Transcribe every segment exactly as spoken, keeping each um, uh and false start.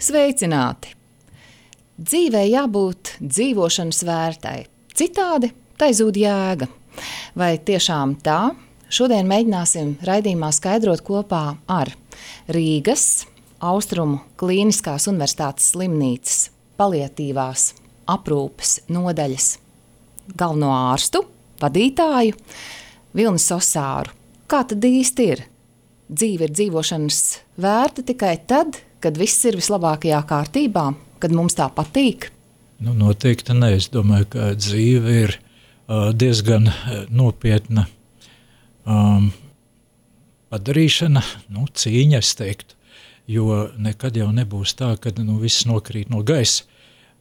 Sveicināti! Dzīvei jābūt dzīvošanas vērtai, citādi tai zūd jēga. Vai tiešām tā? Šodien mēģināsim raidījumā skaidrot kopā ar Rīgas Austrumu Klīniskās Universitātes slimnīcas paliatīvās aprūpes nodaļas galveno ārstu, vadītāju Vilni Sosāru. Kā tad īsti ir? Dzīve ir dzīvošanas vērta tikai tad, kad viss ir vislabākajā kārtībā, kad mums tā patīk? Nu, noteikti ne. Es domāju, ka dzīve ir uh, diezgan nopietna um, padarīšana, nu, cīņa, es teiktu, jo nekad jau nebūs tā, kad nu, viss nokrīt no gaisa.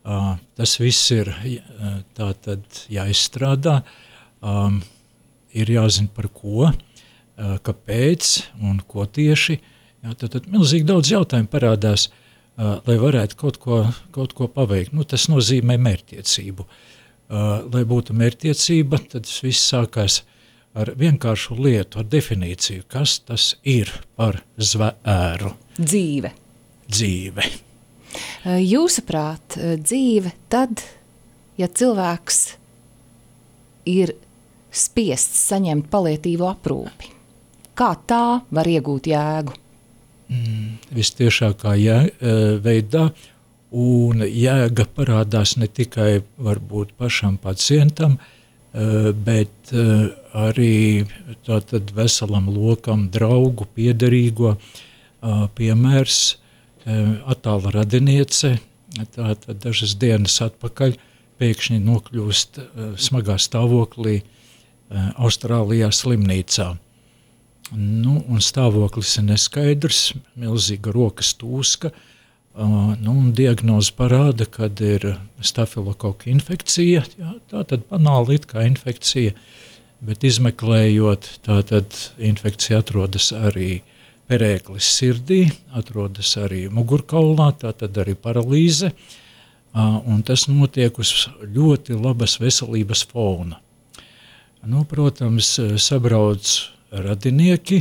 Uh, tas viss ir uh, tā tad jāizstrādā, um, ir jāzina par ko, uh, kāpēc un ko tieši. Jā, tad, tad milzīgi daudz jautājumu parādās, uh, lai varētu kaut ko, kaut ko paveikt. Nu, tas nozīmē mērķtiecību. Uh, lai būtu mērķtiecība, tad viss sākās ar vienkāršu lietu, ar definīciju, kas tas ir par zvēru. Dzīve. Dzīve. Uh, jūsuprāt, dzīve tad, ja cilvēks ir spiests saņemt paliatīvo aprūpi, kā tā var iegūt jēgu? Mm, vistiešākā jē, veidā, un jēga parādās ne tikai varbūt pašam pacientam, bet arī tātad veselam lokam draugu, piederīgo. Piemērs, attāla radiniece, tātad dažas dienas atpakaļ pēkšņi nokļūst smagā stāvoklī Austrālijā slimnīcā. Nu, un stāvoklis ir neskaidrs, milzīga rokas tūska, uh, nu, un diagnoze parāda, kad ir stafilokoka infekcija, jā, tā tad banāli it kā infekcija, bet izmeklējot, tā tad infekcija atrodas arī perēklis sirdī, atrodas arī mugurkaulā, tā tad arī paralīze, uh, un tas notiek uz ļoti labas veselības fona. Nu, protams, sabrauc radinieki,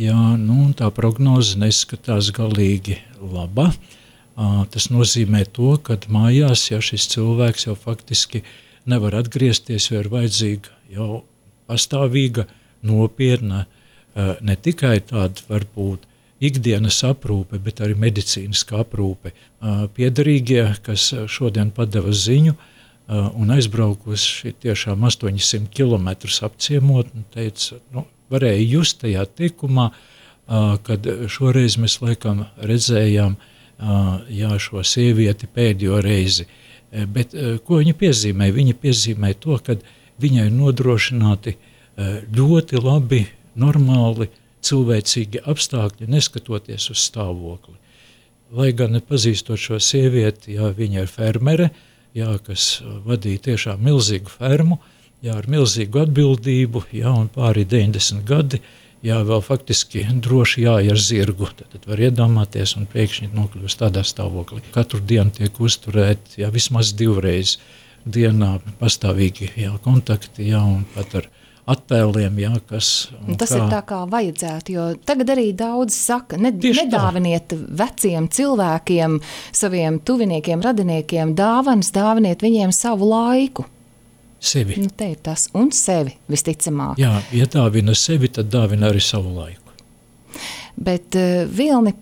jā, nu, tā prognoze neskatās galīgi laba. Uh, tas nozīmē to, ka mājās, ja šis cilvēks jau faktiski nevar atgriezties, jo ir vajadzīga jau pastāvīga, nopietna, uh, ne tikai tāda varbūt ikdienas aprūpe, bet arī medicīniska aprūpe. Uh, piederīgie, kas šodien padeva ziņu, uh, un aizbraukuši tiešām astoņsimt kilometrus apciemot, un teica, nu, varēja just tajā tikumā, kad šoreiz mēs laikam redzējām jā, šo sievieti pēdējo reizi. Bet ko viņa piezīmē? Viņa piezīmē to, ka viņai nodrošināti ļoti labi, normāli, cilvēcīgi apstākļi, neskatoties uz stāvokli. Lai gan nepazīstot šo sievieti, jā, viņa ir fermere, jā, kas vadīja tiešām milzīgu fermu, jā, ar milzīgu atbildību, jā, un pāri deviņdesmit gadi, jā, vēl faktiski droši jāj ar zirgu. Tad, tad var iedomāties un pēkšņi nokļūst tādā stāvoklī. Katru dienu tiek uzturēt, jā, vismaz divreiz dienā pastāvīgi, jā, kontakti, jā, un pat ar attēliem, jā, kas... Tas kā... ir tā kā vajadzētu, jo tagad arī daudz saka, ne, nedāviniet veciem cilvēkiem, saviem tuviniekiem, radiniekiem dāvanas, dāviniet viņiem savu laiku. Sevi. Nu, te ir tas, un sevi, visticamāk. Jā, ja dāvina sevi, tad dāvina arī savu laiku. Bet, uh, Vilni,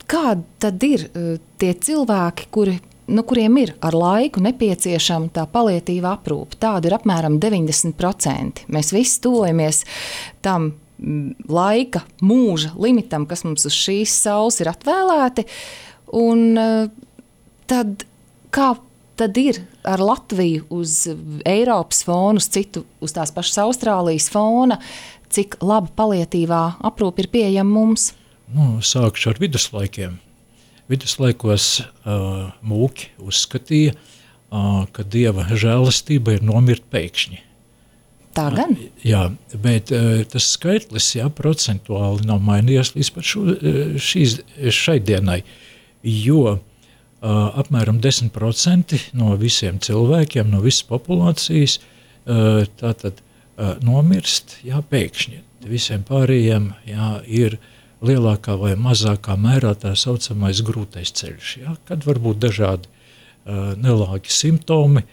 kādi tad ir uh, tie cilvēki, kuri, nu, kuriem ir ar laiku nepieciešama tā paliatīva aprūpe? Tāda ir apmēram deviņdesmit procenti. Mēs visi tuvojamies tam mm, laika, mūža limitam, kas mums uz šīs saules ir atvēlēti, un uh, tad kā tad ir ar Latviju uz Eiropas fonu, uz citu, uz tās pašas Austrālijas fona, cik laba paliatīvā aprūpe ir pieejama mums? Nu, sākšu ar viduslaikiem. Viduslaikos uh, mūki uzskatīja, uh, ka Dieva žēlastība ir nomirt pēkšņi. Tā gan? Uh, jā, bet uh, tas skaitlis, jā, procentuāli nav mainījies līdz pat šo, šīs, šai dienai, jo Uh, apmēram desmit procenti no visiem cilvēkiem, no visas populācijas uh, tātad uh, nomirst, jā, pēkšņi. Visiem pārējiem, jā, ir lielākā vai mazākā mērā tā saucamais grūtais ceļš, ja, kad var būt dažādi uh, nelāgi simptomi.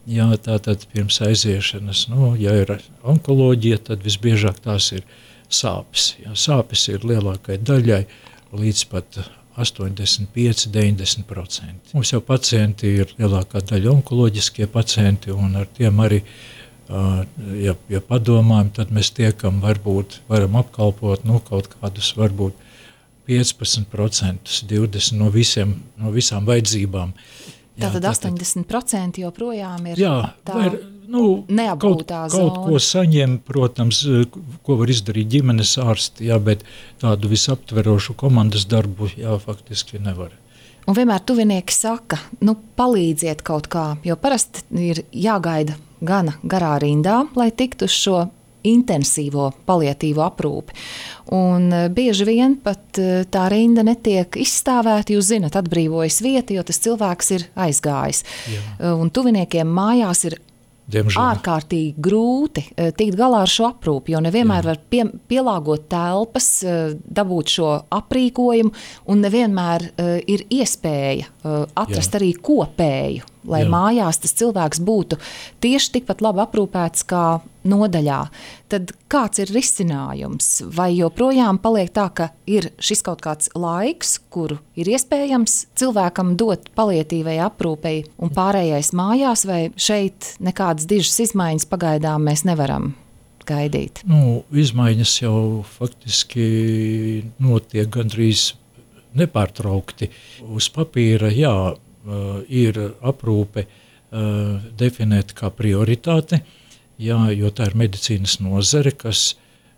Jā, tātad pirms aiziešanas, nu, ja ir onkoloģija, tad visbiežāk tās ir sāpes. Jā, sāpes ir lielākai daļai līdz pat astoņdesmit pieci līdz deviņdesmit procenti. Mums jau pacienti ir lielākā daļa onkoloģiskie pacienti, un ar tiem arī, ja, ja padomājam, tad mēs tiekam, varbūt varam apkalpot nu, kaut kādus, varbūt piecpadsmit procenti, divdesmit procenti no, visiem, no visām vajadzībām. Jā, tātad astoņdesmit procenti joprojām ir jā, tā var, nu, neapgūtā kaut, kaut ko saņem, protams, ko var izdarīt ģimenes ārsti, jā, bet tādu visaptverošu komandas darbu, jā, faktiski nevar. Un vienmēr tuvinieki saka, nu, palīdziet kaut kā, jo parasti ir jāgaida gana garā rindā, lai tiktu uz šo intensīvo paliatīvo aprūpi. Un bieži vien pat tā rinda netiek izstāvēta, jūs zinat, atbrīvojas vieta, jo tas cilvēks ir aizgājis. Jā. Un tuviniekiem mājās ir Diemžēl. ārkārtīgi grūti tikt galā ar šo aprūpi, jo nevienmēr Jā. var pie, pielāgot telpas, dabūt šo aprīkojumu, un nevienmēr ir iespēja atrast Jā. arī kopēju, lai Jā. mājās tas cilvēks būtu tieši tikpat labi aprūpēts kā nodaļā. Tad kāds ir risinājums? Vai joprojām paliek tā, ka ir šis kaut kāds laiks, kuru ir iespējams cilvēkam dot paliatīvai aprūpei un pārējais mājās, vai šeit nekādas dižas izmaiņas pagaidām mēs nevaram gaidīt? Nu, izmaiņas jau faktiski notiek gandrīz nepārtraukti. Uz papīra, jā, ir aprūpe definēta kā prioritāte, jā, jo tā ir medicīnas nozare, kas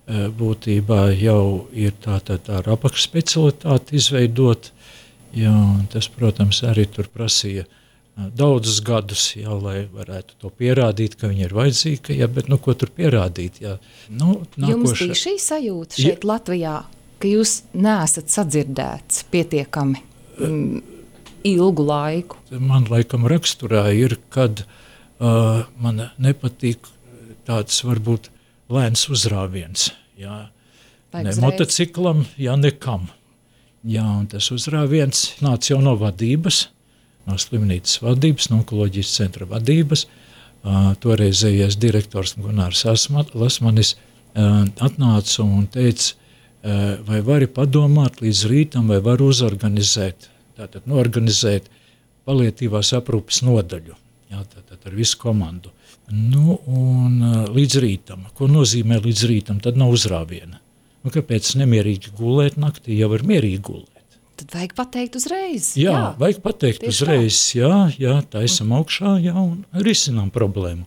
būtībā jau ir tā, tā, tā apakšspecialitāte izveidot. Jā, tas, protams, arī tur prasīja daudzus gadus, jā, lai varētu to pierādīt, ka viņi ir vajadzīgi, jā, bet nu, ko tur pierādīt? Jā. Nu, nākoša... Jums bija šī sajūta šeit jā. Latvijā, ka jūs neesat sadzirdēts pietiekami mm, ilgu laiku? Man laikam raksturā ir, kad uh, man nepatīk tāds varbūt lēns uzrāviens. Jā. Ne motociklam, jā, nekam. Jā, un tas uzrāviens nāca jau no vadības, no slimnīcas vadības, no onkoloģijas centra vadības. Uh, toreizējais direktors Gunārs Lasmanis uh, atnāca un teica, uh, vai vari padomāt līdz rītam, vai var uzorganizēt, tātad norganizēt paliatīvās aprūpes nodaļu, jā, tātad ar visu komandu. Nu, un uh, līdz rītam. Ko nozīmē līdz rītam? Tad nav uzrāviena. Nu, kāpēc nemierīgi gulēt naktī, jau var mierīgi gulēt? Tad vajag pateikt uzreiz. Jā, jā vajag pateikt uzreiz, tā. jā, jā, taisam augšā, jā, un risinām problēmu.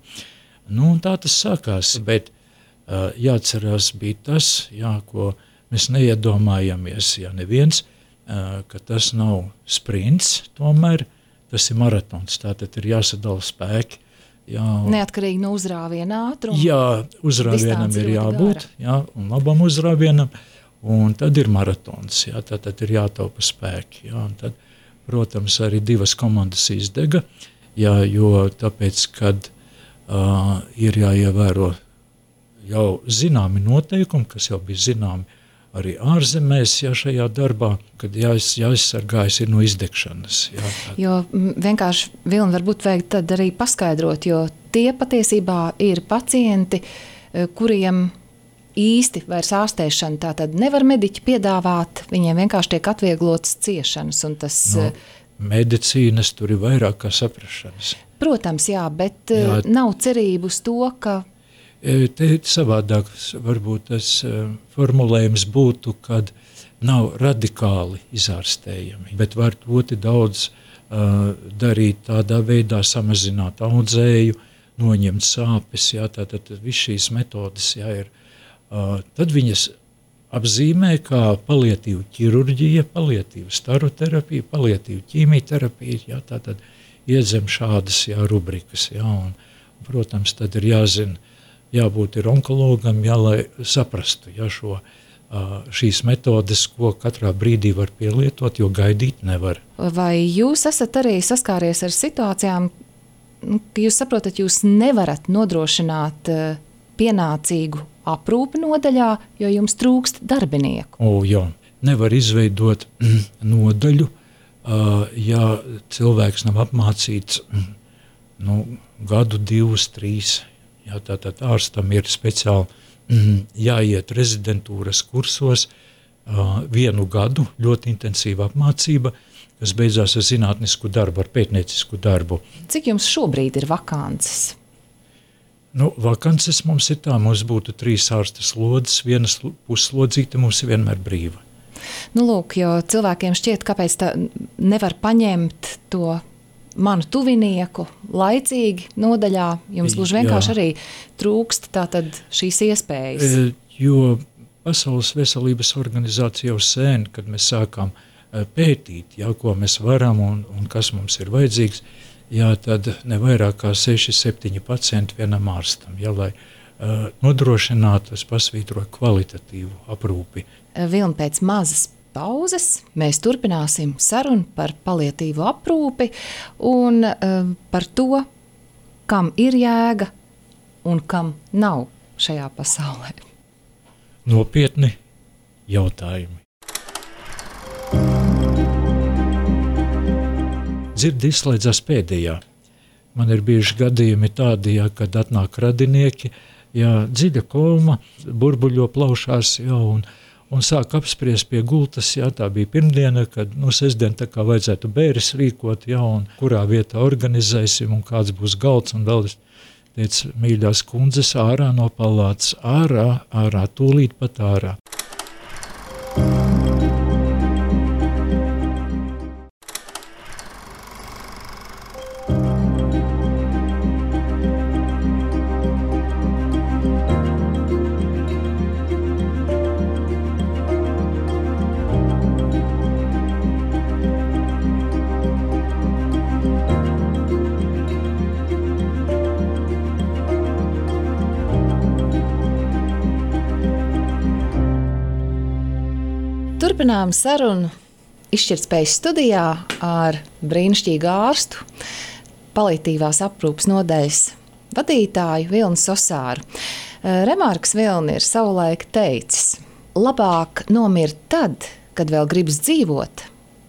Nu, un tā tas sākās, bet uh, jāatcerās bija tas, jā, ko mēs neiedomājamies, jā, neviens, uh, ka tas nav sprints, tomēr tas ir maratons, tātad ir jāsadala spēki. Jā, neatkarīgi no uzrāviena ātruma. Jā, uzrāvienam ir jābūt, jā, un labam uzrāvienam, un tad ir maratons, jā, tad, tad ir jātaupa spēki, jā, un tad, protams, arī divas komandas izdega, jā, jo tāpēc, kad uh, ir jāievēro jau zināmi noteikumi, kas jau bija zināmi arī ārzemēs, jā, šajā darbā, kad jāiz, jāizsargājas ir no izdegšanas. Jā, jo vienkārši, Vilni, varbūt vajag tad arī paskaidrot, jo tie patiesībā ir pacienti, kuriem īsti vairs ārstēšana tātad nevar mediķi piedāvāt, viņiem vienkārši tiek atvieglotas ciešanas. Un tas, no, medicīnas tur ir vairāk kā saprašanas. Protams, jā, bet jā. Nav cerību uz to, ka te savādāk varbūt tas uh, formulējums būtu, kad nav radikāli izārstējami, bet var ļoti daudz uh, darīt tādā veidā, samazināt audzēju, noņemt sāpes, jā, tātad viss šīs metodas, jā, ir. Uh, tad viņas apzīmē kā paliatīva ķirurģija, paliatīva staroterapija, paliatīva ķīmijterapija, jā, tātad iedzem šādas, jā, rubrikas, jā, un, protams, tad ir jāzina, jābūt ir onkologam, jā, lai saprastu, jā, šo, šīs metodes, ko katrā brīdī var pielietot, jo gaidīt nevar. Vai jūs esat arī saskāries ar situācijām, ka jūs saprotat, jūs nevarat nodrošināt pienācīgu aprūpi nodaļā, jo jums trūkst darbinieku? O, jā, nevar izveidot nodaļu, ja cilvēks nav apmācīts nu, gadu, divus, trīs. Jā, tātad ārstam ir speciāli jāiet rezidentūras kursos vienu gadu, ļoti intensīva apmācība, kas beidzās ar zinātnisku darbu, ar pētniecisku darbu. Cik jums šobrīd ir vakances? Nu, vakances mums ir tā, mums būtu trīs ārsta slodzes, vienas puslodzīte mums ir vienmēr brīva. Nu, lūk, jo cilvēkiem šķiet, kāpēc tā nevar paņemt to manu tuvinieku laicīgi nodaļā, jums gluži vienkārši arī trūkst tātad šīs iespējas. E, jo Pasaules veselības organizācija jau sen, kad mēs sākām pētīt, jā, ko mēs varam un, un kas mums ir vajadzīgs, jā, tad ne vairāk kā seši septiņi pacienti vienam ārstam, jā, lai uh, nodrošinātu, es pasvītroju kvalitatīvu aprūpi. Vilni, pēc mazas pauzes mēs turpināsim sarunu par paliatīvu aprūpi un uh, par to, kam ir jēga un kam nav šajā pasaulē. Nopietni jautājumi. Dzirdi izslēdzās pēdējā. Man ir bijuši gadījumi tādi, jā, kad atnāk radinieki, jā, dziļa koma, burbuļo plaušās, jā, un, un sāk apspriest pie gultas, jā, tā bija pirmdiena, kad, nu, sestdien tā kā vajadzētu bēres rīkot, jā, un kurā vietā organizēsim, un kāds būs galds, un vēl es teicu, mīļās kundzes, ārā no palātas, ārā, ārā, tūlīt pat ārā. Turpinām sarunu izšķirtspējas studijā ar brīnišķīgu ārstu, paliatīvās aprūpes nodaļas vadītāju Vilni Sosāru. Remarks Vilni ir savulaik teicis, labāk nomirt tad, kad vēl gribas dzīvot,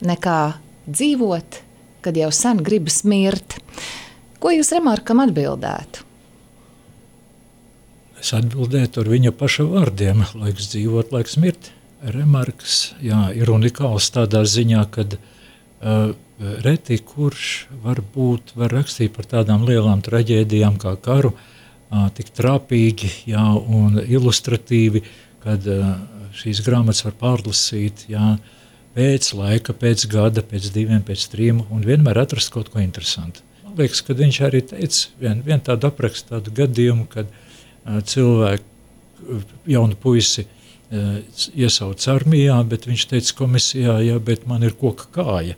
nekā dzīvot, kad jau sen gribas mirt. Ko jūs Remarkam atbildētu? Es atbildētu ar viņa paša vārdiem, laiks dzīvot, laiks mirt. Remarks, jā, ir unikāls tādā ziņā, kad uh, reti kurš varbūt var rakstīt par tādām lielām traģēdijām kā karu, uh, tik trāpīgi, jā, un ilustratīvi, kad uh, šīs grāmatas var pārlasīt, jā, pēc laika, pēc gada, pēc diviem, pēc trim, un vienmēr atrast kaut ko interesantu. Man liekas, kad viņš arī teica, vien, vien tādu aprakstu, tādu gadījumu, kad uh, cilvēku, jaunu puisi, iesauc armijā, bet viņš teica komisijā, jā, bet man ir koka kāja.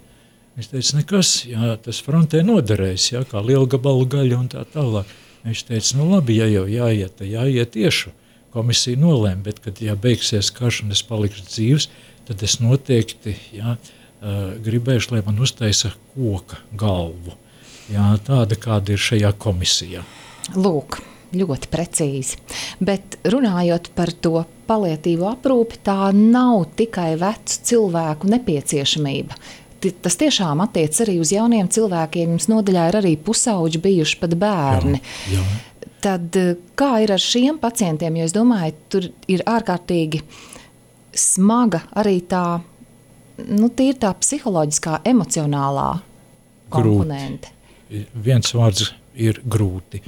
Viņš teica, nekas, jā, tas frontē noderēs, jā, kā lielgabalu gaļa un tā tālāk. Viņš teica, nu labi, ja jau jāiet, tad jāiet tiešu. Komisija nolēma, bet kad jā, beigsies karš un es palikšu dzīvs, tad es noteikti, jā, gribēšu, lai man uztaisa koka galvu. Jā, tāda, kāda ir šajā komisijā. Lūk, ļoti precīzi. Bet runājot par to paliatīvo aprūpi, tā nav tikai vecu cilvēku nepieciešamība. Tas tiešām attiec arī uz jauniem cilvēkiem. Jums nodaļā ir arī pusauģi bijuši pat bērni. Jā, jā. Tad kā ir ar šiem pacientiem? Jo es domāju, tur ir ārkārtīgi smaga arī tā, nu, tīri tā psiholoģiskā, emocionālā komponente. Grūti. Viens vārds ir grūti.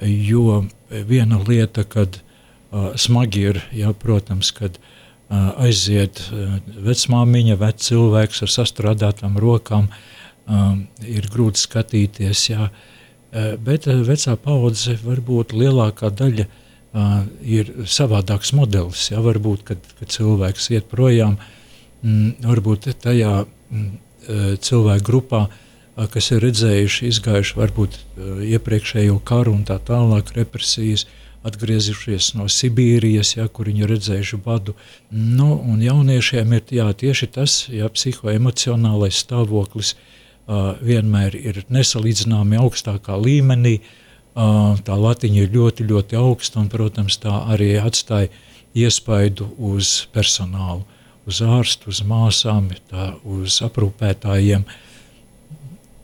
Jo viena lieta, kad uh, smagi ir, jā, protams, kad uh, aiziet uh, vecmāmiņa, vec cilvēks ar sastrādātām rokām, uh, ir grūti skatīties, jā, uh, bet uh, vecā paudze varbūt lielākā daļa uh, ir savādāks modelis, jā, varbūt, kad, kad cilvēks iet projām, mm, varbūt tajā mm, cilvēku grupā, kas ir redzējuši, izgājuši varbūt iepriekšējo karu un tā tālāk represijas, atgriezušies no Sibīrijas, ja, kur viņi redzējuši badu. Nu, un jauniešiem ir jā, tieši tas, ja, psihoemocionālais stāvoklis uh, vienmēr ir nesalīdzināmi augstākā līmenī, uh, tā latiņa ir ļoti, ļoti augsta un, protams, tā arī atstāja iespaidu uz personālu. uz ārstu, uz māsām, tā, uz aprūpētājiem.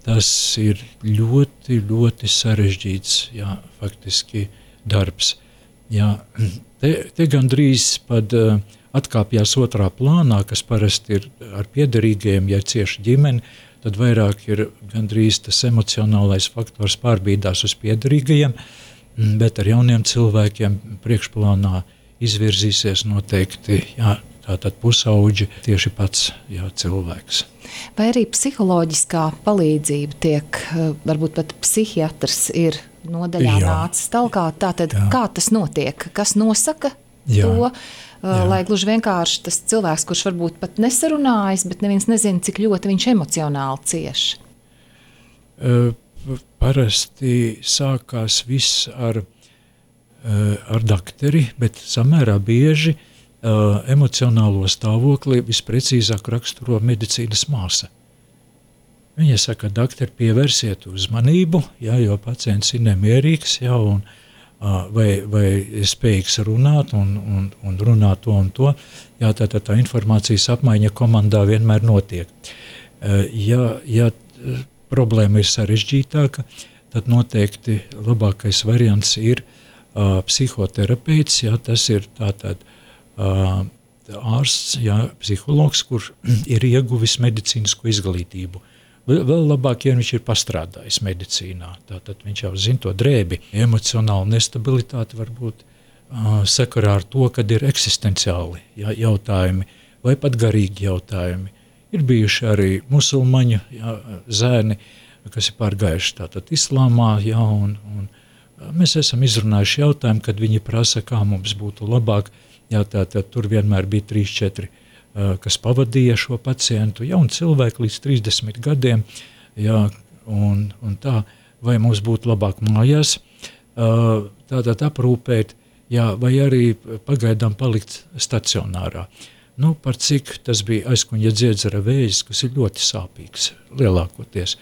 Tas ir ļoti, ļoti sarežģīts, jā, faktiski darbs. Jā, te, te gandrīz pat uh, atkāpjās otrā plānā, kas parasti ir ar piederīgajiem, ja cieši ģimeni, tad vairāk ir gandrīz tas emocionālais faktors pārbīdās uz piederīgajiem, bet ar jauniem cilvēkiem priekšplānā izvirzīsies noteikti, jā, tātad pusauģi, tieši pats, jā, cilvēks. Vai arī psiholoģiskā palīdzība tiek, varbūt pat psihiatrs ir nodaļā jā. Nācis talkā, tātad jā. Kā tas notiek, kas nosaka jā. To, jā. Lai gluži vienkārši tas cilvēks, kurš varbūt pat nesarunājas, bet neviens nezina, cik ļoti viņš emocionāli cieš? Uh, parasti sākās viss ar, uh, ar dakteri, bet samērā bieži Uh, emocionālo stāvokli visprecīzāk raksturo medicīnas māsa. Viņa saka, dakteri, pievērsiet uzmanību, jā, jo pacients ir nemierīgs, jā, un, uh, vai, vai ir spējīgs runāt un, un, un runāt to un to. Jā, tā, tā, tā informācijas apmaiņa komandā vienmēr notiek. Uh, ja, ja problēma ir sarežģītāka, tad noteikti labākais variants ir uh, psihoterapeits, jā, tas ir tātad Uh, ārsts, jā, psihologs, kurš ir ieguvis medicīnisko izglītību. Vēl labāk, ja viņš ir pastrādājis medicīnā, tātad viņš jau zina to drēbi. Emocionāla nestabilitāte var būt uh, sakarā ar to, kad ir eksistenciāli jā, jautājumi vai pat garīgi jautājumi. Ir bijuši arī musulmaņu jā, zēni, kas ir pārgājuši tātad islāmā, jā, un, un mēs esam izrunājuši jautājumu, kad viņi prasa, kā mums būtu labāk. Jā, tā, tā, tur vienmēr bija trīs, četri, uh, kas pavadīja šo pacientu, jauni cilvēki līdz trīsdesmit gadiem, jā, un, un tā, vai mums būtu labāk mājās, uh, tātad aprūpēt, jā, vai arī pagaidām palikt stacionārā. Nu, par cik tas bija aizkuņa dziedzera vējs, kas ir ļoti sāpīgs, lielākoties,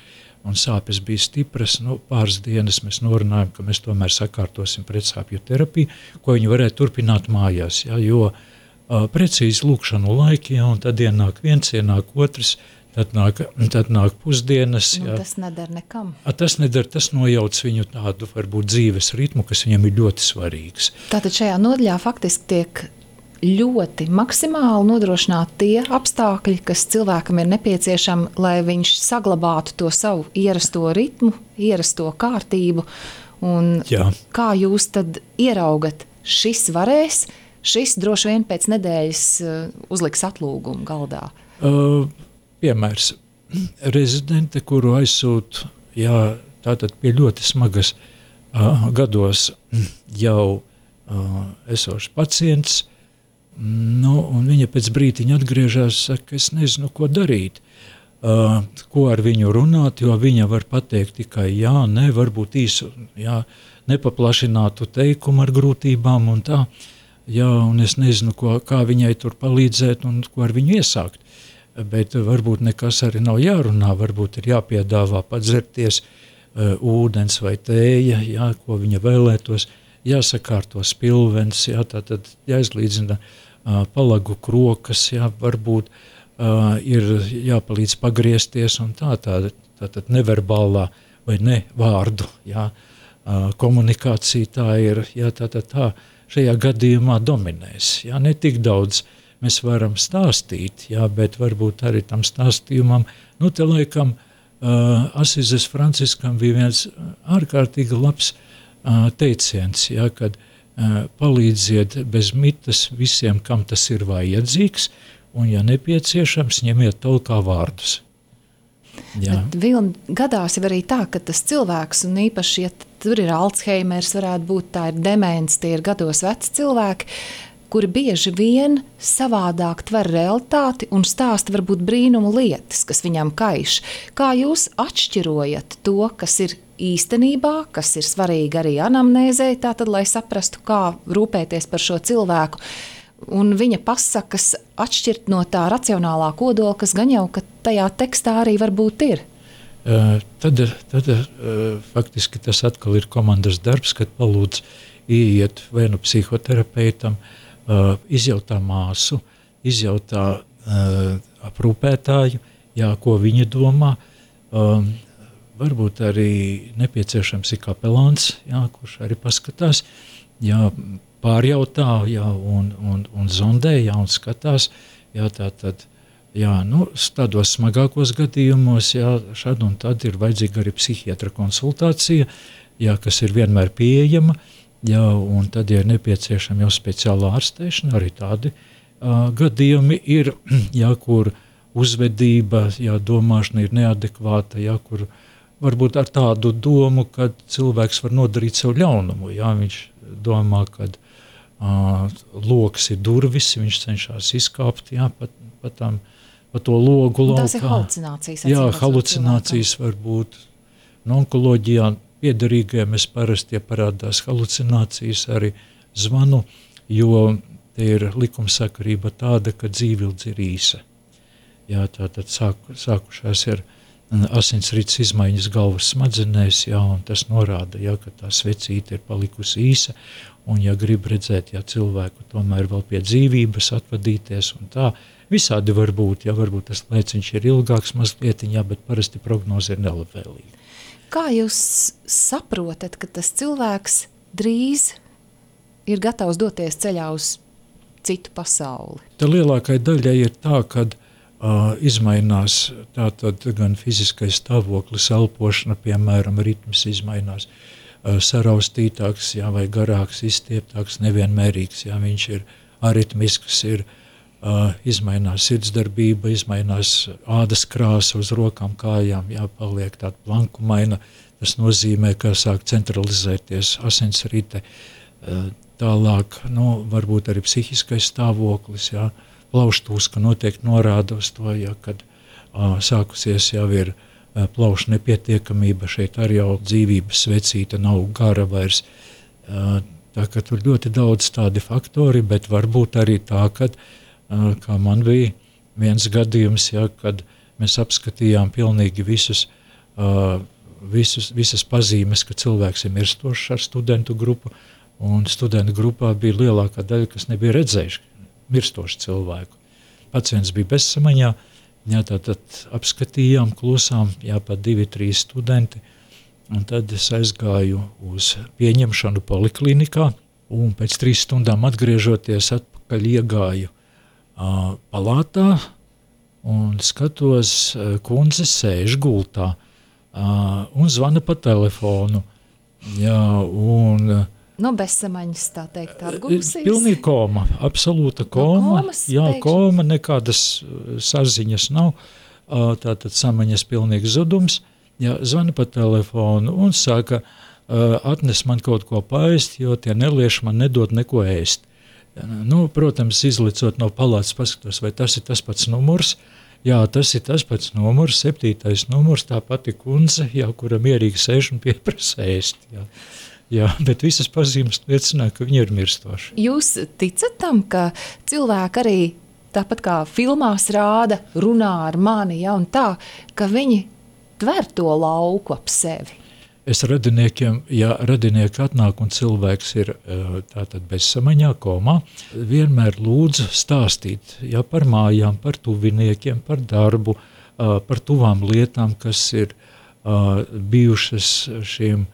un sāpes bija stipras, nu, pāris dienas mēs norunājam, ka mēs tomēr sakārtosim pretsāpju terapiju, ko viņi varētu turpināt mājās, jā, jo uh, precīzi lūkšanu laiki, jā, un tad ienāk viens, ienāk otrs, tad nāk, tad nāk pusdienas. Nu, jā. Tas nedara nekam. A, tas nedara, tas nojauc viņu tādu, varbūt, dzīves ritmu, kas viņam ir ļoti svarīgs. Tātad šajā nodaļā faktiski tiek ļoti maksimāli nodrošināt tie apstākļi, kas cilvēkam ir nepieciešami, lai viņš saglabātu to savu ierasto ritmu, ierasto kārtību. Un Jā. Kā jūs tad ieraugat, šis varēs, šis droši vien pēc nedēļas uzliks atlūgumu galdā? Uh, piemērs. Rezidente, kuru aizsūt, jā, tātad pie ļoti smagas uh, gados jau uh, esošs pacients, nu, un viņa pēc brītiņa atgriežās, saka, es nezinu, ko darīt, uh, ko ar viņu runāt, jo viņa var pateikt tikai jā, ne, varbūt īsu, jā, nepaplašinātu teikumu ar grūtībām un tā, jā, un es nezinu, ko, kā viņai tur palīdzēt un ko ar viņu iesākt, bet varbūt nekas arī nav jārunā, varbūt ir jāpiedāvā padzerties uh, ūdens vai tēja, jā, ko viņa vēlētos, jāsakārto spilvens, jā, tātad jāizlīdzina Uh, palagu krokas, jā, varbūt uh, ir jāpalīdz pagriezties un tā, tā, tā, tā neverbālā vai ne vārdu, jā, uh, komunikācija tā ir, jā, tā, tā, tā, šajā gadījumā dominēs, jā, ne tik daudz mēs varam stāstīt, jā, bet varbūt arī tam stāstījumam, nu, te laikam uh, Asizes Franciskam bija viens ārkārtīgi labs uh, teiciens, jā, kad palīdziet bez mitas visiem, kam tas ir vajadzīgs, un, ja nepieciešams, ņemiet talkā vārdus. Jā. Bet Vilni, gadās jau arī tā, ka tas cilvēks, un īpaši, ja tur ir Alzheimers, varētu būt tā ir demence, tie ir gados veci cilvēki, kuri bieži vien savādāk tver realitāti un stāsta varbūt brīnumu lietas, kas viņam kaiš. Kā jūs atšķirojat to, kas ir īstenībā, kas ir svarīgi arī anamnēzē, tātad, lai saprastu, kā rūpēties par šo cilvēku, un viņa pasakas atšķirt no tā racionālā kodola, kas gan jau, ka tajā tekstā arī varbūt ir. Uh, tad tad uh, faktiski tas atkal ir komandas darbs, kad palūdz ieiet vai nu psihoterapeitam, uh, izjautā māsu, izjautā uh, aprūpētāju, jā, ko viņi domā. Um, varbūt arī nepieciešams ir kapelāns, jā, kurš arī paskatās, jā, pārjautā, jā, un, un, un zondē, jā, un skatās, jā, tā tad, jā, nu, tādos smagākos gadījumos, jā, šad un tad ir vajadzīga arī psihiatra konsultācija, jā, kas ir vienmēr pieejama, jā, un tad ir nepieciešama jau speciāla ārstēšana, arī tādi uh, gadījumi ir, jā, kur uzvedība, jā, domāšana ir neadekvāta, jā, kur varbūt ar tādu domu, ka cilvēks var nodarīt sev ļaunumu, jā, viņš domā, ka uh, loks ir durvis, viņš cenšas izkāpt, jā, pat, pat tam, pa to logu laukā. Tas ir halucinācijas. Jā, halucinācijas var būt. No onkoloģijā piederīgajiem es parasti, ja parādās halucinācijas, arī zvanu, jo te ir likumsakarība tāda, ka dzīvildze ir īsa. Jā, tātad sāku, sākušās ir asinsrites izmaiņas galvas smadzenēs, jā, un tas norāda, jā, ka tā svecīte ir palikusi īsa, un ja grib redzēt, ja cilvēku tomēr vēl pie dzīvības atvadīties un tā, visādi var būt, ja varbūt tas lēciņš ir ilgāks mazliet, jā, bet parasti prognoze ir nelabvēlīga. Kā jūs saprotat, ka tas cilvēks drīz ir gatavs doties ceļā uz citu pasauli? Tā lielākai daļai ir tā, kad uh, izmainās tātad gan fiziskais stāvoklis, elpošana, piemēram, ritms izmainās, uh, saraustītāks, jā, vai garāks, izstieptāks, nevienmērīgs, jā, viņš ir aritmisks, ir Uh, izmainās sirdsdarbība, izmainās ādas krāsa uz rokām, kājām, jā, paliek tāda blankumaina, tas nozīmē, ka sāk centralizēties asinsrite, uh, tālāk, nu, varbūt arī psihiskais stāvoklis, jā, plauštūska noteikti norāda uz to, jā, kad uh, sākusies jau ir uh, plaušu nepietiekamība, šeit arī jau dzīvības svecīta nav gara vairs, uh, tā ka tur ļoti daudz tādi faktori, bet varbūt arī tā, kad kā man bija viens gadījums, ja, kad mēs apskatījām pilnīgi visus, uh, visus, visas pazīmes, ka cilvēks ir mirstošs ar studentu grupu, un studentu grupā bija lielākā daļa, kas nebija redzējuši mirstošu cilvēku. Pacients bija bezsamaņā, ja, tātad apskatījām, klusām, jā, pat divi, trīs studenti, un tad es aizgāju uz pieņemšanu poliklinikā, un pēc trīs stundām atgriežoties atpakaļ iegāju Uh, palātā un skatos, uh, kundze sēž gultā uh, un zvana pa telefonu. Jā, un, uh, no bezsamaņas, tā teikt, atgūsies? Pilnīgi koma, absolūta koma. No komas, jā, teikšu. koma, nekādas saziņas nav, uh, tātad samaņas pilnīgs zudums. Jā, zvana pa telefonu un saka, uh, atnes man kaut ko paēst, jo tie nelieši man nedod neko ēst. Nu, protams, izlicot no palātas, paskatos, vai tas ir tas pats numurs. Jā, tas ir tas pats numurs, septītais numurs, tā pati kundze, jā, kura mierīgi sēž un pieprasa ēst. Jā. Jā, bet visas pazīmes liecināja, ka viņi ir mirstoši. Jūs ticat tam, ka cilvēki arī tāpat kā filmās rāda, runā ar mani, ja, un tā, ka viņi tver to lauku ap sevi? Es radiniekiem, ja radinieki atnāk un cilvēks ir tātad bezsamaņā, komā, vienmēr lūdzu stāstīt, ja, par mājām, par tuviniekiem, par darbu, par tuvām lietām, kas ir bijušas šiem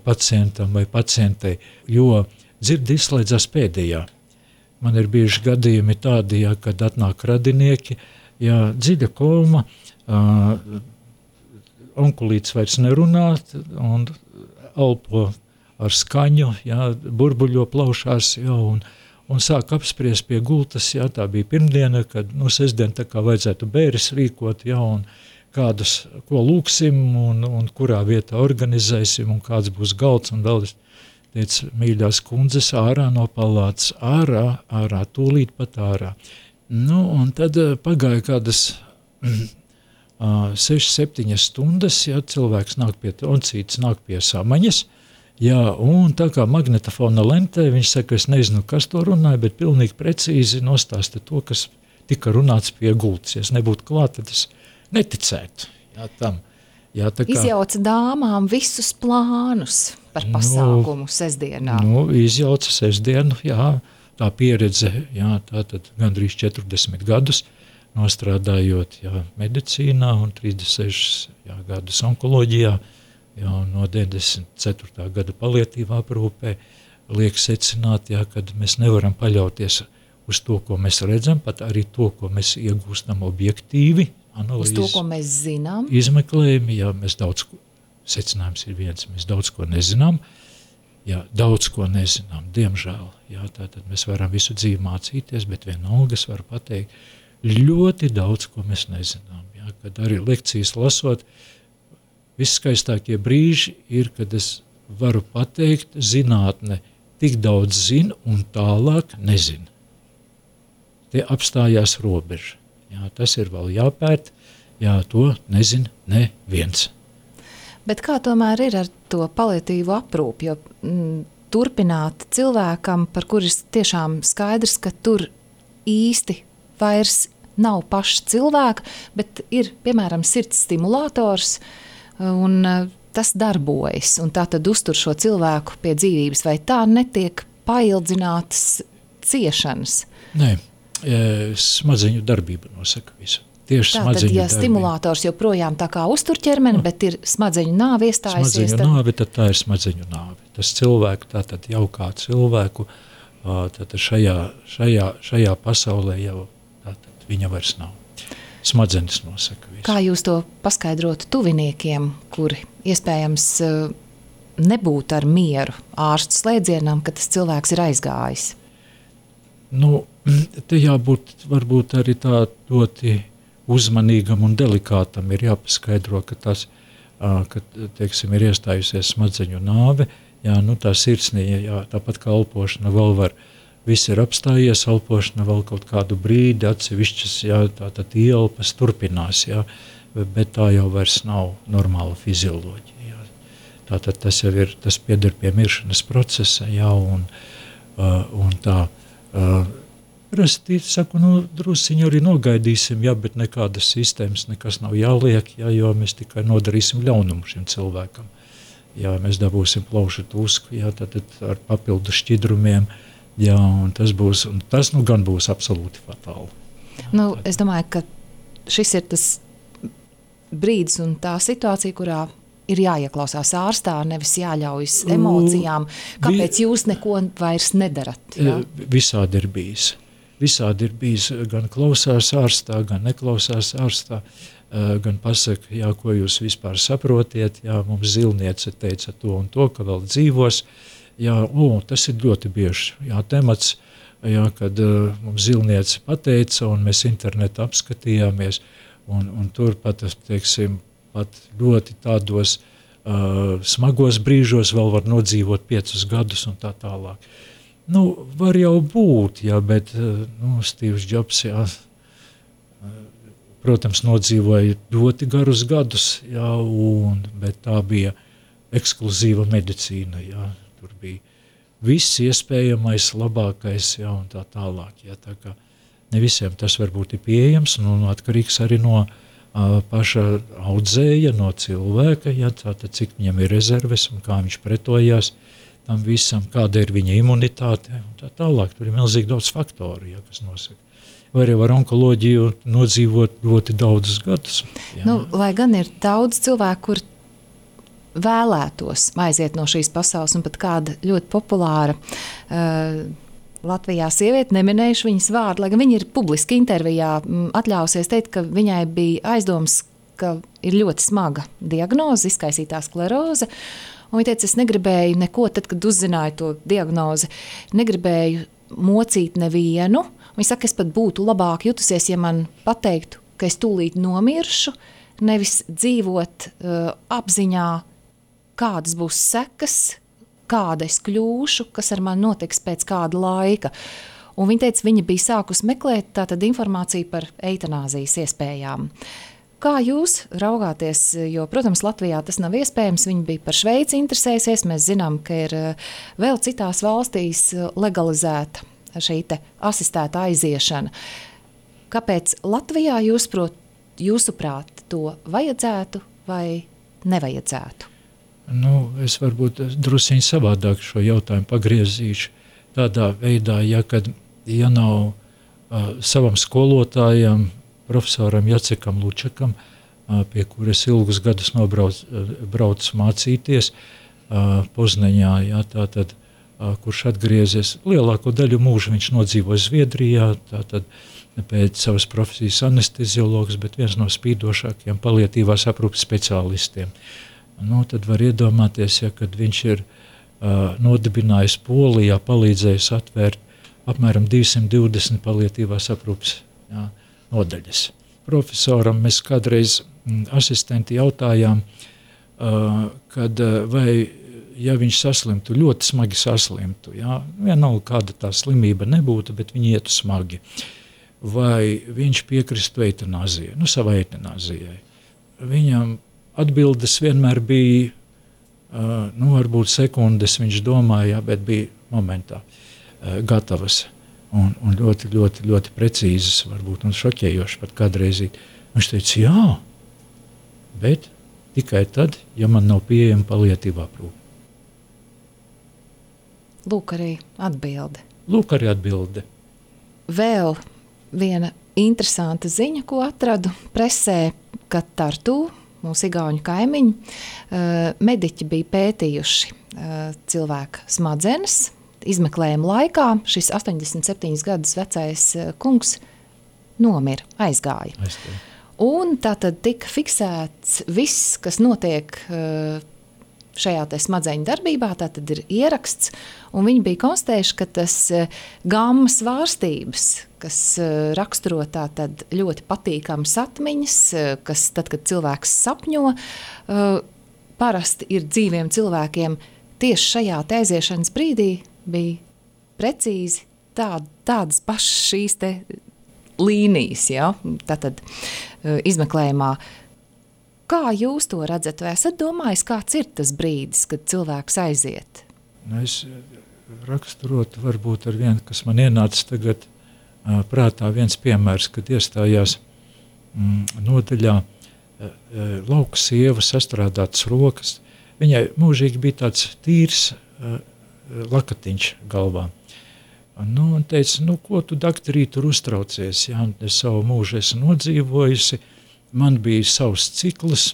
pacientam vai pacientei, jo dzirdi izslēdzās pēdējā. Man ir bijuši gadījumi tādi, ja, kad atnāk radinieki, ja, dziļa koma, onkulīts vairs nerunā un elpo ar skaņu, jā, burbuļo plaušās, jā, un, un sāk apspriest pie gultas, jā, tā bija pirmdiena, kad, nu, sestdien tā kā vajadzētu bēris rīkot, jā, un kādus, ko lūksim, un, un kurā vietā organizēsim, un kāds būs galds, un vēl es teicu, mīļās kundzes, ārā no palātas, ārā, ārā, tūlīt pat ārā. Nu, un tad pagāja kādas Uh, sešas, septiņas stundas, ja, cilvēks nāk pie toncītes, nāk pie samaņas, jā, un tā kā magnetofona lentē, viņš saka, es nezinu, kas to runāja, bet pilnīgi precīzi nostāsta to, kas tika runāts pie gultas. Ja es nebūtu klāt, tad es neticētu, jā, tam. Jā, tā kā, izjauca dāmām visus plānus par pasākumu nu, sestdienā. Nu, izjauca sestdienu, jā, tā pieredze, jā, tā tad gandrīz četrdesmit gadus, nostrādājot jā, medicīnā un trīsdesmit sešus jā, gadus onkoloģijā, jā, no deviņdesmit ceturtā gada palietīvā aprūpē, liek secināt, jā, kad mēs nevaram paļauties uz to, ko mēs redzam, pat arī to, ko mēs iegūstam objektīvi, analīzes. Uz to, ko mēs zinām. Izmeklējumi, jā, mēs daudz, secinājums ir viens, mēs daudz ko nezinām, jā, daudz ko nezinām, diemžēl, jā, tātad mēs varam visu dzīvi mācīties, bet vienalga es varu pateikt, ļoti daudz, ko mēs nezinām, jā, kad arī lekcijas lasot, visskaistākie brīži ir, kad es varu pateikt, zinātne tik daudz zina un tālāk nezina. Tie apstājās robeža. Jā, tas ir vēl jāpēt, jā, to nezina neviens. Bet kā tomēr ir ar to paliatīvu aprūpi, jo mm, turpināt cilvēkam, par kuris tiešām skaidrs, ka tur īsti vairs nav paša cilvēka, bet ir, piemēram, sirds stimulators, un tas darbojas, un tā tad uztur šo cilvēku pie dzīvības, vai tā netiek paildzinātas ciešanas? Nē, smadzeņu darbība nosaka visu. Tieši tā tad, ja stimulators joprojām tā kā uztur ķermeni, bet ir smadzeņu nāve iestājusies. Smadzeņu tad... nāve, tad tā ir smadzeņu nāve. Tas cilvēku, tātad jau kā cilvēku, tātad šajā, šajā, šajā pasaulē jau tātad viņa vairs nav. Smadzenes nosaka visu. Kā jūs to paskaidrotu tuviniekiem, kuri iespējams nebūtu ar mieru ārstu slēdzienam, ka tas cilvēks ir aizgājis? Nu, te jābūt varbūt arī tā ļoti uzmanīgam un delikātam ir jāpaskaidro, ka tas, ka, teiksim, ir iestājusies smadzeņu nāve, jā, nu tā sirsnīja, jā, tāpat kā elpošana vēl var, viss ir apstājies, elpošana vēl kaut kādu brīdi, atsevišķas, jā, tātad ielpas turpinās, jā, bet tā jau vairs nav normāla fizioloģija, jā. Tātad tas jau ir, tas pieder pie miršanas procesa, jā, un, un tā, Rasti, saku, nu, drusiņu arī nogaidīsim, jā, bet nekādas sistēmas, nekas nav jāliek, jā, jo mēs tikai nodarīsim ļaunumu šim cilvēkam. Jā, mēs dabūsim plaušu tusku, jā, tad ar papildu šķidrumiem, jā, un tas būs, un tas, nu, gan būs absolūti fatāli. Jā, nu, tad... es domāju, ka šis ir tas brīdis un tā situācija, kurā ir jāieklausās ārstā, nevis jāļaujas emocijām. Kāpēc jūs neko vairs nedarat? Jā? Visādi ir bijis. Visādi ir bijis, gan klausās ārstā, gan neklausās ārstā, gan pasaka, jā, ko jūs vispār saprotiet, jā, mums zilniece teica to un to, ka vēl dzīvos, jā, o, tas ir ļoti bieži, jā, temats, jā, kad uh, mums zilniece pateica, un mēs internetu apskatījāmies, un, un tur pat, teiksim, pat ļoti tādos uh, smagos brīžos vēl var nodzīvot piecus gadus un tā tālāk. Nu, var jau būt, jā, bet, nu, Stīvs Džobs, jā, protams, nodzīvoja ļoti garus gadus, jā, un, bet tā bija ekskluzīva medicīna, jā, tur bija viss iespējamais, labākais, jā, un tā tālāk, jā, tā kā ne visiem tas varbūt ir pieejams, un, un atkarīgs arī no uh, paša audzēja, no cilvēka, jā, tātad cik viņam ir rezerves un kā viņš pretojās tam visam, kāda ir viņa imunitāte un tā tālāk. Tur ir milzīgi daudz faktoru, ja, kas nosaka. Vai arī var onkoloģiju nodzīvot ļoti daudzus gadus. Jā. Nu, lai gan ir daudz cilvēku, kur vēlētos aiziet no šīs pasaules, un pat kāda ļoti populāra uh, Latvijā sieviete, neminējuši viņas vārdu, lai gan viņa ir publiski intervijā atļausies teikt, ka viņai bija aizdoms, ka ir ļoti smaga diagnoze, izkaisītā skleroze. Un viņa teica, es negribēju neko, tad, kad uzzināju to diagnozi, negribēju mocīt nevienu. Viņa saka, es pat būtu labāk jutusies, ja man pateiktu, ka es tūlīt nomiršu, nevis dzīvot uh, apziņā, kādas būs sekas, kāda es kļūšu, kas ar mani notiks pēc kāda laika. Un viņa teica, viņa bija sākus meklēt tātad informāciju par eitanāzijas iespējām. Kā jūs raugāties, jo, protams, Latvijā tas nav iespējams, viņi bija par Šveici interesējusies, mēs zinām, ka ir vēl citās valstīs legalizēta šī te asistēta aiziešana. Kāpēc Latvijā jūs prot, jūsuprāt to vajadzētu vai nevajadzētu? Nu, es varbūt drusiņi savādāk šo jautājumu pagriezīšu tādā veidā, ja, kad, ja nav uh, savam skolotājam profesoram Jacekam Lučakam, pie kuras ilgus gadus nobrauc mācīties Poznaņā, jā, tātad, kurš atgriezies lielāko daļu mūžu, viņš nodzīvoja Zviedrijā, tātad pēc savas profesijas anesteziologs, bet viens no spīdošākajiem paliatīvās aprūpes speciālistiem. Nu, tad var iedomāties, ja, kad viņš ir uh, nodibinājis Polijā, palīdzējis atvērt apmēram divsimt divdesmit paliatīvās aprūpes, jā, nodaļas. Profesoram mēs kādreiz mm, asistenti jautājām, uh, kad uh, vai, ja viņš saslimtu, ļoti smagi saslimtu, jā, vienalga kāda tā slimība nebūtu, bet viņi ietu smagi, vai viņš piekristu eitanāzijai, nu savai eitanāzijai. Viņam atbildes vienmēr bija, uh, nu varbūt sekundes viņš domāja, bet bija momentā uh, gatavas. Un, un ļoti, ļoti, ļoti precīzas, varbūt un šokējoši pat kādreizīt. Viņš teica, jā, bet tikai tad, ja man nav pieejama paliatīvā aprūpe. Lūk arī atbilde. Lūk arī atbilde. Vēl viena interesanta ziņa, ko atradu presē, ka Tartu, mūsu igauņu kaimiņi, mediķi bija pētījuši cilvēka smadzenes. Izmeklējuma laikā šis astoņdesmit septiņus gadus vecais kungs nomira, aizgāja. Aizgāja. Un tātad tika fiksēts viss, kas notiek šajā te smadzeņu darbībā, tātad ir ieraksts, un viņi bija konstatējuši, ka tas gamma svārstības, kas raksturo tātad ļoti patīkamas atmiņas, kas tad, kad cilvēks sapņo, parasti ir dzīviem cilvēkiem tieši šajā te aiziešanas brīdī bija precīzi tā, tādas pašas šīs te līnijas, ja? Tātad izmeklējumā. Kā jūs to redzat? Vai esat domājis, kāds ir tas brīdis, kad cilvēks aiziet? Nu, es raksturotu varbūt ar vienu, kas man ienāca tagad uh, prātā viens piemērs, kad iestājās mm, nodaļā uh, lauka sieva sastrādātas rokas. Viņai mūžīgi bija tāds tīrs uh, lakatiņš galvā. Nu, un teica, nu, ko tu, daktarī, tur uztraucies? Jā, es savu mūžu esmu nodzīvojusi, man bija savs cikls,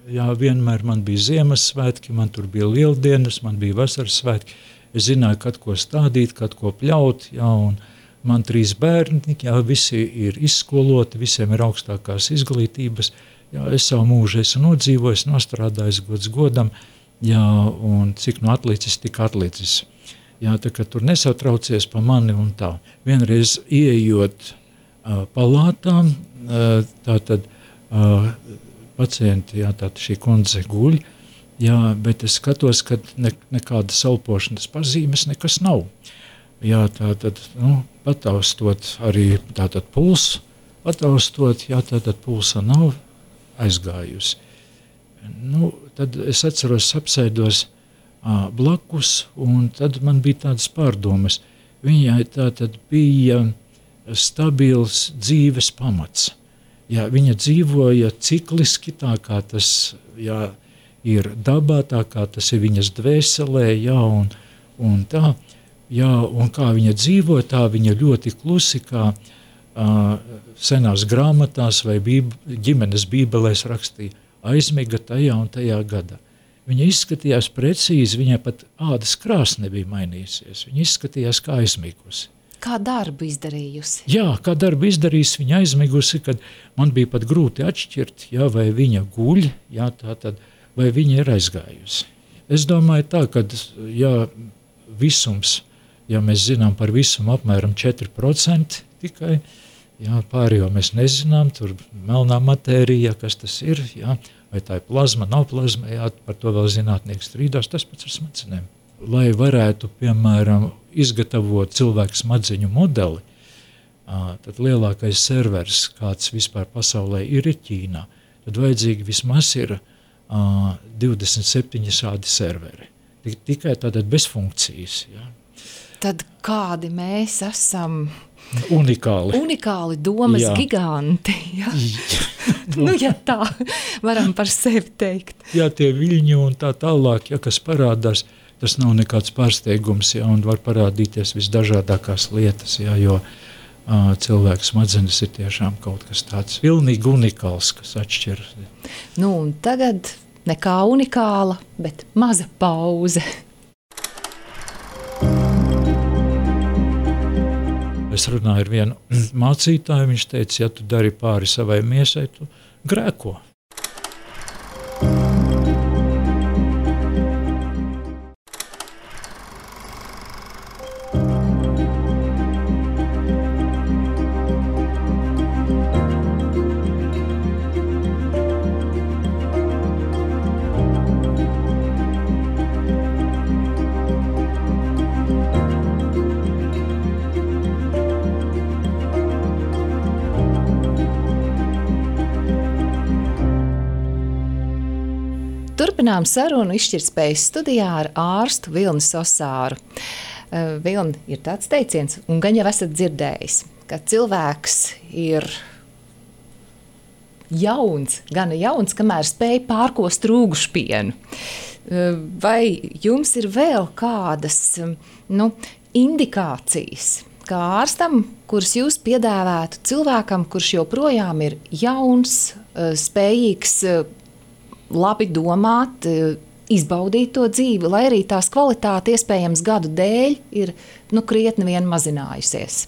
jā, vienmēr man bija Ziemassvētki, man tur bija lieldienas, man bija vasaras svētki, es zināju, kad ko stādīt, kad ko pļaut, jā, un man trīs bērni, jā, visi ir izskoloti, visiem ir augstākās izglītības, jā, es savu mūžu esmu nodzīvojis, nostrādājis gods godam, jā, un cik nu atlicis, tik atlicis. Jā, tā kā tur nesatraucies pa mani un tā. Vienreiz ieejot uh, palātām, uh, tātad uh, pacienti, jā, tātad šī kundze guļ, jā, bet es skatos, ka ne, nekādas elpošanas pazīmes nekas nav. Jā, tātad, nu, pataustot arī tātad pulsu, pataustot, jā, tātad pulsa nav aizgājusi. Nu, tad es atceros, apsēdos ā, blakus, un tad man bija tādas pārdomas. Viņai tātad bija stabils dzīves pamats. Jā, viņa dzīvoja cikliski, tā kā tas, jā, ir dabā, tā kā tas ir viņas dvēselē, jā, un, un tā, jā, un kā viņa dzīvoja, tā viņa ļoti klusi, kā uh, senās grāmatās vai bīb, ģimenes bībelēs rakstīja, aizmiga tajā un tajā gadā. Viņa izskatījās precīzi, viņai pat ādas krāsa nebija mainījusies, viņa izskatījās kā aizmigusi. Kā darbu izdarījusi? Jā, kā darbu izdarījusi, viņa aizmigusi, kad man bija pat grūti atšķirt, jā, vai viņa guļ, jā, tā tad, vai viņa ir aizgājusi. Es domāju tā, ka jā, visums, ja mēs zinām par visumu apmēram četri procenti tikai, jā, pārējo mēs nezinām, tur melnā matērija, kas tas ir, jā, vai tā ir plazma, nav plazma, jā, par to vēl zinātnieki strīdās, tas pats ar smadzenēm. Lai varētu, piemēram, izgatavot cilvēku smadzeņu modeli, tad lielākais servers, kāds vispār pasaulē ir, ir Ķīnā, tad vajadzīgi vismaz ir divdesmit septiņi šādi serveri. Tikai tātad bez funkcijas. Jā. Tad kādi mēs esam? Unikāli. Unikāli domas jā. Giganti. Jā. Nu, ja tā varam par sevi teikt. Jā, tie viļņi un tā tālāk, ja kas parādās, tas nav nekāds pārsteigums, jā, un var parādīties visdažādākās lietas, jā, jo uh, cilvēka smadzenes ir tiešām kaut kas tāds pilnīgi unikāls, kas atšķir. Nu, un tagad nekā unikāla, bet maza pauze. Es runāju ar vienu mācītāju, viņš teica, ja tu dari pāri savai miesai, tu grēko. Turpinām sarunu izšķirtspējas studijā ar ārstu Vilni Sosāru. Uh, Vilni, ir tāds teiciens, un gan jau esat dzirdējis, ka cilvēks ir jauns, gana jauns, kamēr spēj pārkost rūgušpienu. Uh, vai jums ir vēl kādas nu, indikācijas, kā ārstam, kuras jūs piedāvētu cilvēkam, kurš joprojām ir jauns, uh, spējīgs, uh, labi domāt, izbaudīt to dzīvi, lai arī tās kvalitāte iespējams gadu dēļ ir nu, krietni vien mazinājusies.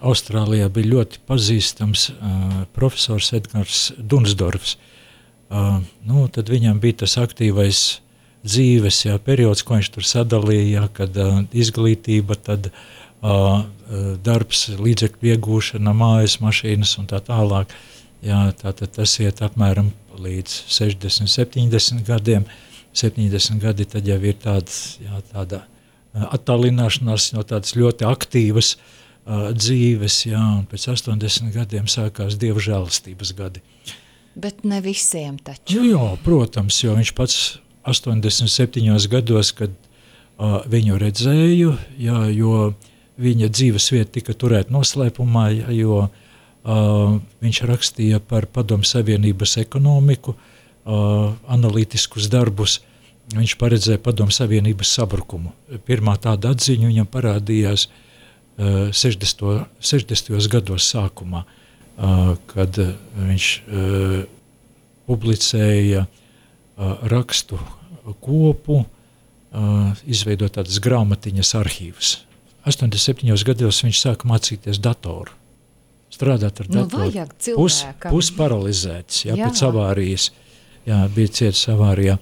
Austrālijā bija ļoti pazīstams uh, profesors Edgars Dunsdorfs. Uh, nu, tad viņam bija tas aktīvais dzīves jā, periods, ko viņš tur sadalīja, jā, kad uh, izglītība, tad uh, darbs, līdzekļu iegūšana, mājas, mašīnas un tā tālāk. Jā, tātad tas iet apmēram līdz sešdesmit, septiņdesmit gadiem. septiņdesmit gadi tad jau ir tāds, jā, tāda attālināšanās no tādas ļoti aktīvas uh, dzīves, jā, un pēc astoņdesmit gadiem sākās Dieva žēlastības gadi. Bet ne visiem taču. Nu, jā, protams, jo viņš pats astoņdesmit septiņos gados, kad uh, viņu redzēju, jā, jo viņa dzīves vieta tika turēta noslēpumā, jā, jo Uh, viņš rakstīja par Padomu Savienības ekonomiku, uh, analītiskus darbus. Viņš paredzēja Padomu Savienības sabrukumu. Pirmā tāda atziņa viņam parādījās uh, sešdesmitajos gados sākumā, uh, kad uh, viņš uh, publicēja uh, rakstu kopu, uh, izveidot tādas grāmatiņas arhīvus. astoņdesmit septiņos gados viņš sāka mācīties datoru. Strādāt ar datoru, nu, pus, pusparalizēts, jā, jā. Pēc avārijas, jā, bija cietis avārijā,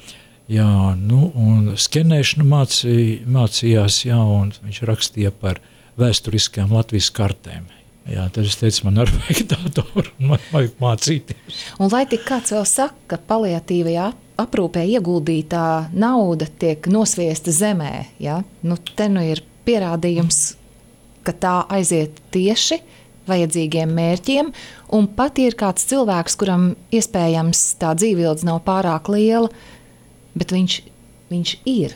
jā, nu, un skenēšanu mācī, mācījās, jā, un viņš rakstīja par vēsturiskajām Latvijas kartēm. Jā, tad es teicu, man arī vajag datoru, man vajag mācīties. Un lai tik kāds vēl saka, ka paliatīvajā aprūpē ieguldītā nauda tiek nosviesta zemē, jā, nu, te nu ir pierādījums, ka tā aiziet tieši vajadzīgiem mērķiem, un pat ir kāds cilvēks, kuram iespējams tā dzīvildze nav pārāk liela, bet viņš, viņš ir.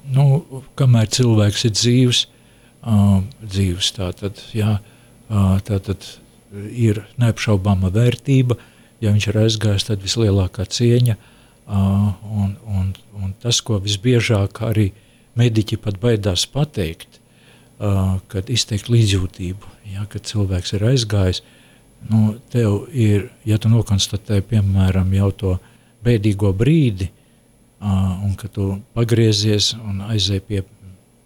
Nu, kamēr cilvēks ir dzīvs, uh, dzīvs tātad, jā, uh, tātad ir neapšaubāma vērtība, ja viņš ir aizgājis, tad vislielākā cieņa, uh, un, un, un tas, ko visbiežāk arī mediķi pat baidās pateikt, Uh, kad izteikt līdzjūtību, ja, kad cilvēks ir aizgājis, nu, tev ir, ja tu nokonstatē, piemēram, jau to bēdīgo brīdi, uh, un kad tu pagriezies un aizēj pie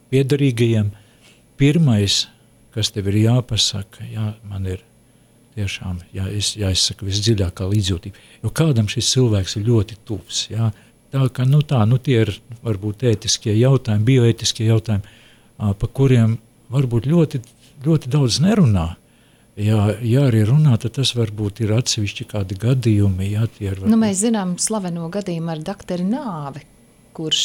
piederīgajiem, pirmais, kas tev ir jāpasaka, jā, man ir tiešām jā, jāizsaka visdziļākā līdzjūtība, jo kādam šis cilvēks ir ļoti tuvs, jā, tā ka, nu tā, nu tie ir varbūt ētiskie jautājumi, bioētiskie jautājumi, pa kuriem varbūt ļoti, ļoti daudz nerunā. Ja, ja arī runā, tad tas varbūt ir atsevišķi kādi gadījumi. Ja, tie ir varbūt... Nu, mēs zinām slaveno gadījumu ar doktoru Nāvi, kurš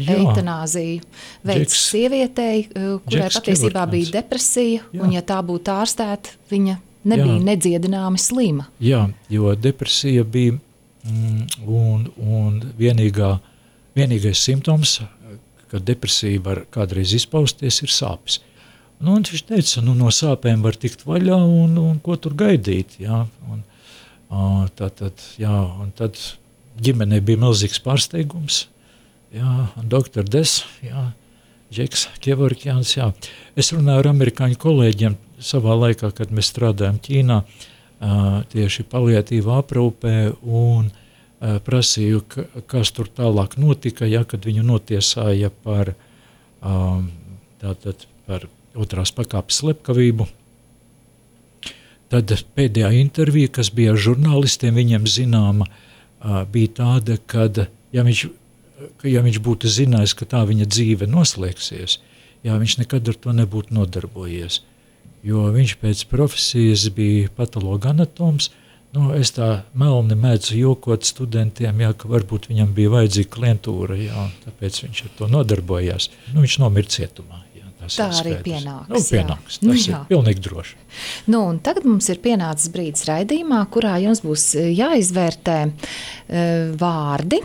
eitanāziju veids sievietei, kurai Džeks patiesībā Kevortmans. bija depresija, Jā. un ja tā būtu ārstēta, viņa nebija Jā. nedziedināmi slima. Jā, jo depresija bija mm, un, un vienīgā, vienīgais simptoms, ka depresija var kādreiz izpausties, ir sāpes. Nu, un viņš teica, nu, no sāpēm var tikt vaļā un, un ko tur gaidīt. Jā. Un, tā, tad, jā, un tad ģimenei bija milzīgs pārsteigums. Jā, un doktor Des, jā, Džeks Kevorkians, jā. Es runāju ar amerikāņu kolēģiem savā laikā, kad mēs strādājam Ķīnā, tieši paliatīvā aprūpē, un prasīju, kas tur tālāk notika, ja, kad viņu notiesāja par, tātad, par otrās pakāpes slepkavību. Tad pēdējā intervija, kas bija ar žurnālistiem, viņiem zināma, bija tāda, kad, ja viņš, ja viņš būtu zinājis, ka tā viņa dzīve noslēgsies, jā, viņš nekad ar to nebūtu nodarbojies, jo viņš pēc profesijas bija patologa anatoms. Nu, es tā melni mēdzu jokot studentiem, jā, ka varbūt viņam bija vajadzīga klientūra, jā, tāpēc viņš ar to nodarbojās. Nu, viņš nomira cietumā. Jā, tā arī pienāks. Nu, pienāks, tas nu, ir pilnīgi droši. Nu, un tagad mums ir pienācis brīdis raidījumā, kurā jums būs jāizvērtē uh, vārdi.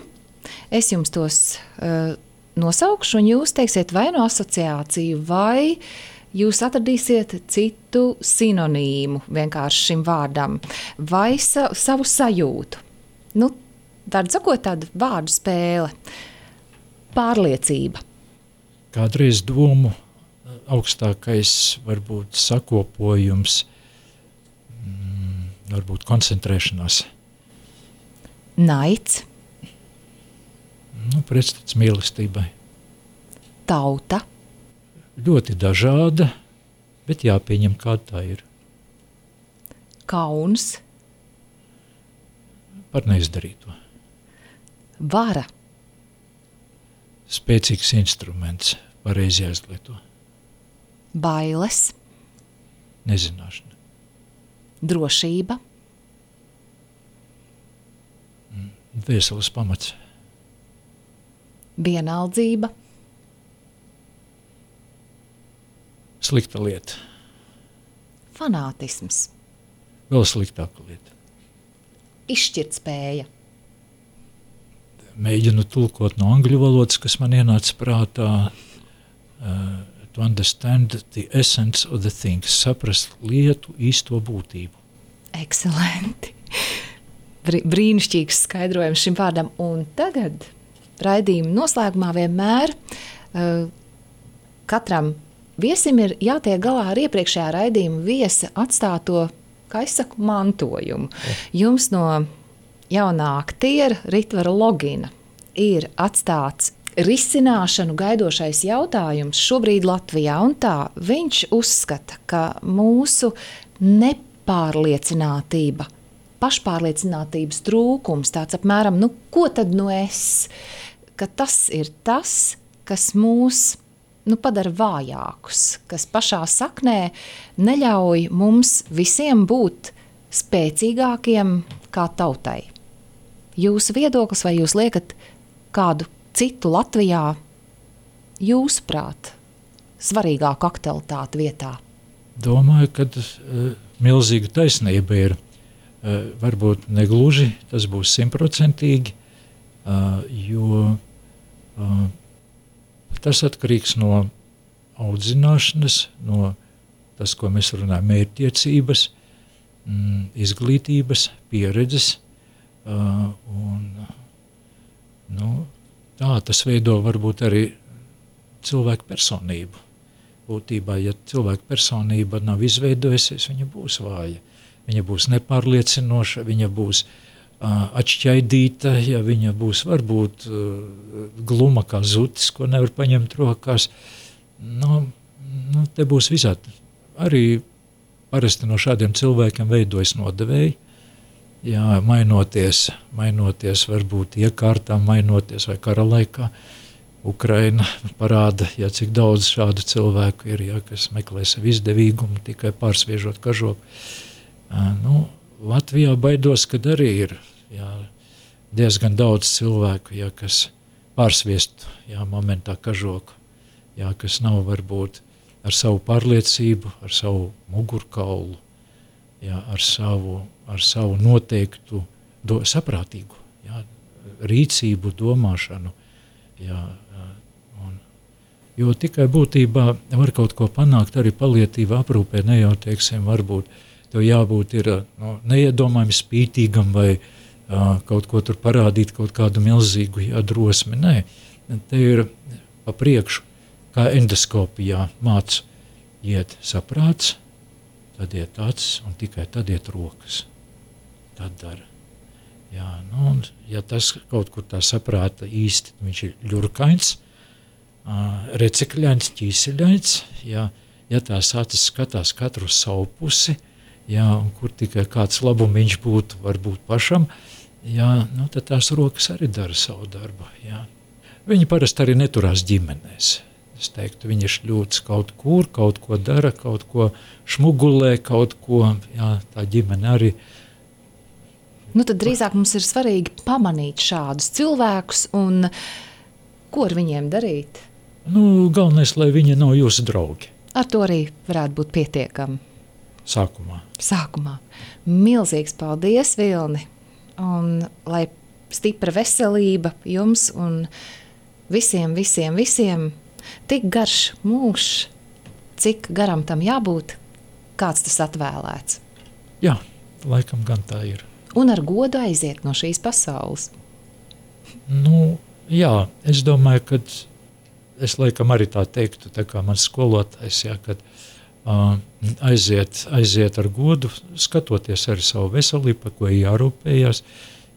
Es jums tos uh, nosaukšu, un jūs teiksiet vai no asociāciju, vai jūs atradīsiet citu sinonīmu vienkārši šim vārdam, vai sa, savu sajūtu. Nu, tāda sakot, tāda vārdu spēle. Pārliecība. Kādreiz domu augstākais varbūt sakopojums, mm, varbūt koncentrēšanās. Naids. Nu, pretstats mīlestībai. Tauta. Ļoti dažāda, bet jāpieņem, kāda tā ir. Kauns. Par neizdarīto. Vara. Spēcīgs instruments, pareizi jāizlieto. Bailes. Nezināšana. Drošība. Dvēseles pamats. Vienaldzība. Slikta lieta. Fanātisms. Vēl sliktāka lieta. Izšķirtspēja. Mēģinu tulkot no angļu valodas, kas man ienāca prātā, uh, to understand the essence of the things, saprast lietu īsto būtību. Ekscelenti. Brīnišķīgs skaidrojums šim vārdam. Un tagad raidījuma noslēgumā vienmēr uh, katram viesim ir jātiek galā ar iepriekšējā raidījuma viesa atstāto, kā es saku, mantojumu. Jums no jaunā aktiera Ritvara Logina ir atstāts risināšanu gaidošais jautājums šobrīd Latvijā, un tā viņš uzskata, ka mūsu nepārliecinātība, pašpārliecinātības trūkums, tāds apmēram, nu, ko tad nu es, ka tas ir tas, kas mūs nu, padara vājākus, kas pašā saknē neļauj mums visiem būt spēcīgākiem kā tautai. Jūsu viedoklis, vai jūs liekat kādu citu Latvijā, jūsuprāt, svarīgāku aktualitāti vietā? Domāju, ka uh, milzīga taisnība ir. Uh, varbūt negluži, tas būs simtprocentīgi, uh, jo uh, tas atkarīgs no audzināšanas, no tas, ko mēs runājam, mērķtiecības, mm, izglītības, pieredzes. Uh, un, nu, tā tas veido varbūt arī cilvēku personību. Būtībā, ja cilvēka personība nav izveidojusies, viņa būs vāja. Viņa būs nepārliecinoša, viņa būs uh, atšķaidīta, ja viņa būs varbūt uh, gluma kā zutis, ko nevar paņemt rokās. Nu, nu, te būs visādi. Arī parasti no šādiem cilvēkiem veidojas nodevēji, jā, mainoties, mainoties varbūt iekārtām, mainoties vai kara laikā. Ukraina parāda, ja cik daudz šādu cilvēku ir, ja, kas meklē sev izdevīgumu, tikai pārsviežot kažoku. Nu, Latvijā baidos, kad arī ir jā, diezgan daudz cilvēku, jā, kas pārsviest jā, momentā kažoku, jā, kas nav varbūt ar savu pārliecību, ar savu mugurkaulu, jā, ar, savu, ar savu noteiktu do, saprātīgu jā, rīcību, domāšanu. Jā, un, jo tikai būtībā var kaut ko panākt arī palietīvā aprūpē, ne jau, teiksim, varbūt tev jābūt ir no, neiedomājami spītīgam vai uh, kaut ko tur parādīt, kaut kādu milzīgu jā, drosmi. Nē, te ir pa priekšu kā endoskopijā mācu iet saprāts, tad iet acis un tikai tad iet rokas. Tad dara. Jā, nu, un ja tas kaut kur tā saprāta īsti, viņš ir ļurkains, recikļains, ķīseļains, jā, ja tās acis skatās katru savu pusi, jā, un kur tikai kāds labumiņš būtu, varbūt pašam, jā, nu, tad tās rokas arī dara savu darbu, jā. Viņi parasti arī neturās ģimenēs. Es teiktu, viņi šļūts kaut kur, kaut ko dara, kaut ko šmugulē, kaut ko, jā, tā ģimene arī. Nu, tad drīzāk mums ir svarīgi pamanīt šādus cilvēkus un ko ar viņiem darīt? Nu, galvenais, lai viņi nav jūsu draugi. Ar to arī varētu būt pietiekami. Sākumā. Sākumā. Milzīgs paldies, Vilni, un lai stipra veselība jums un visiem, visiem, visiem, tik garš mūžs, cik garam tam jābūt, kāds tas atvēlēts. Jā, laikam gan tā ir. Un ar godu aiziet no šīs pasaules. Nu, jā, es domāju, ka es laikam arī tā teiktu, tā kā mans skolotājs, jā, kad uh, aiziet, aiziet ar godu, skatoties arī savu veselību, par ko jārūpējās,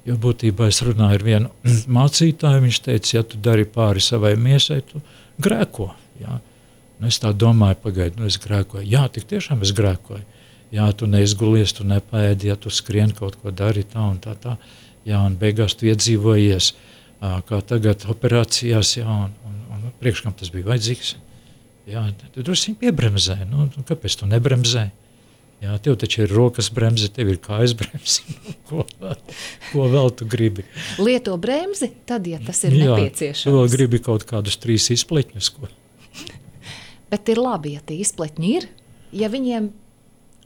jo būtībā es runāju ar vienu mācītāju, viņš teica, ja tu dari pāri savai miesai, tu grēko, jā. Nu, es tā domāju, pagaidu, nu es grēkoju. Jā, tik tiešām es grēkoju. Jā, tu neizgulies, tu nepēdi, ja tu skrien kaut ko dari tā un tā tā. Jā, un beigās tu iedzīvojies, kā tagad operācijās, jā, un, un, un priekš kam tas bija vajadzīgs. Jā, tu drusciņ piebremzē, nu, kāpēc tu nebremzē? Jā, tev taču ir rokas bremze, tev ir kājas bremze, ko, ko vēl tu gribi? Lieto bremzi, tad, ja tas ir jā, nepieciešams. Tu vēl gribi kaut kādus trīs izpletņus, ko? Bet ir labi, ja tie izpletņi ir, ja viņiem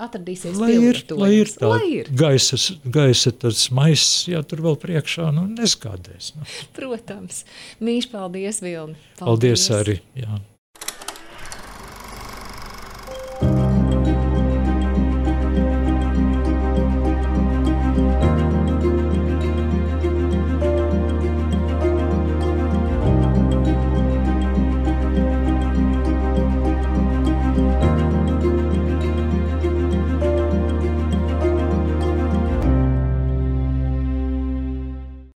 atradīsies lai ir, lai ir tā lai ir. Gaisa, gaisa tas maiss, jā, tur vēl priekšā, nu, neskādēs. Nu. Protams. Mīļš, paldies, Vilni. Paldies, paldies arī, jā.